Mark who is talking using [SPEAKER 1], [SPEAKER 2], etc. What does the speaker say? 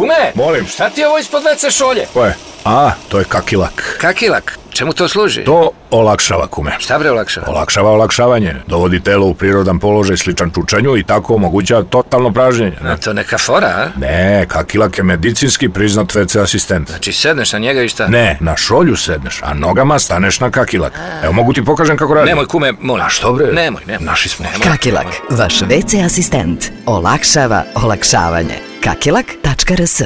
[SPEAKER 1] Kume,
[SPEAKER 2] Molim.
[SPEAKER 1] šta ti je ovo ispod WC šolje?
[SPEAKER 2] Ko je? To je kakilak.
[SPEAKER 1] Kakilak? Čemu to služi?
[SPEAKER 2] To olakšava, kume.
[SPEAKER 1] Šta bre olakšava?
[SPEAKER 2] Olakšava olakšavanje. Dovodi telo u prirodan položaj sličan čučanju i tako omogućava totalno pražnjenje.
[SPEAKER 1] To neka fora, a?
[SPEAKER 2] Ne, kakilak je medicinski priznat WC asistent.
[SPEAKER 1] Znači sedneš na njega i šta?
[SPEAKER 2] Ne, na šolju sedneš, a nogama staneš na kakilak. Evo, mogu ti pokažem kako radi.
[SPEAKER 1] Nemoj, kume, molim.
[SPEAKER 2] A što bre?
[SPEAKER 1] Nemoj.
[SPEAKER 2] Naši smo.
[SPEAKER 3] Kakilak, vaš WC asistent. Olakšava olakšavanje. Kakilak.rs